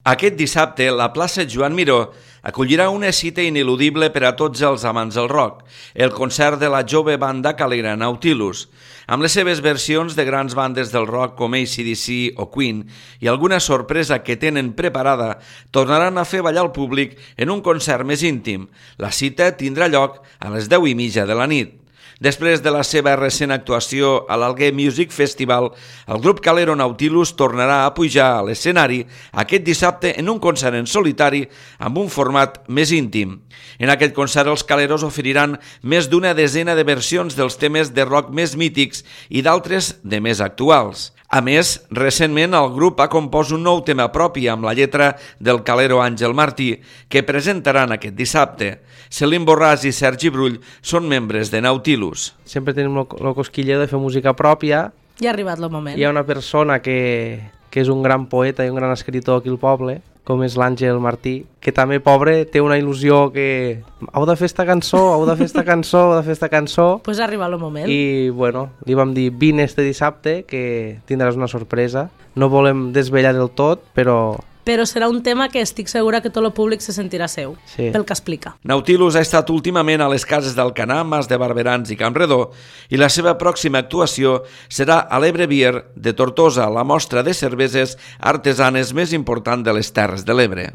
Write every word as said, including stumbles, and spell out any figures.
Aquest dissabte, la plaça Joan Miró acollirà una cita ineludible per a tots els amants del rock, el concert de la jove banda calera Nautilus. Amb les seves versions de grans bandes del rock com A C D C o Queen i alguna sorpresa que tenen preparada, tornaran a fer ballar el públic en un concert més íntim. La cita tindrà lloc a les deu i mitja de la nit. Després de la seva recent actuació a l'Alguer Music Festival, el grup calero Nautilus tornarà a pujar a l'escenari aquest dissabte en un concert en solitari amb un format més íntim. En aquest concert els caleros oferiran més d'una desena de versions dels temes de rock més mítics i d'altres de més actuals. A més, recentment el grup ha compost un nou tema propi amb la lletra del calero Àngel Martí, que presentaran aquest dissabte. Celim Borràs i Sergi Brull són membres de Nautilus. Sempre tenim el cosquilleu de fer música pròpia. Ja ha arribat el moment. Hi ha una persona que, que és un gran poeta i un gran escriptor aquí al poble, com és l'Àngel Martí, que també, pobre, té una il·lusió que heu de fer esta cançó, heu de fer esta cançó, heu de fer esta cançó. Pues ha arribat el moment. I, bueno, li vam dir, vine este dissabte, que tindràs una sorpresa. No volem desvetllar del tot, però... Però serà un tema que estic segura que tot el públic se sentirà seu, sí, pel que explica. Nautilus ha estat últimament a les cases d'Alcanar, Mas de Barberans i Campredó, i la seva pròxima actuació serà a l'Ebre Beer de Tortosa, la mostra de cerveses artesanes més important de les Terres de l'Ebre.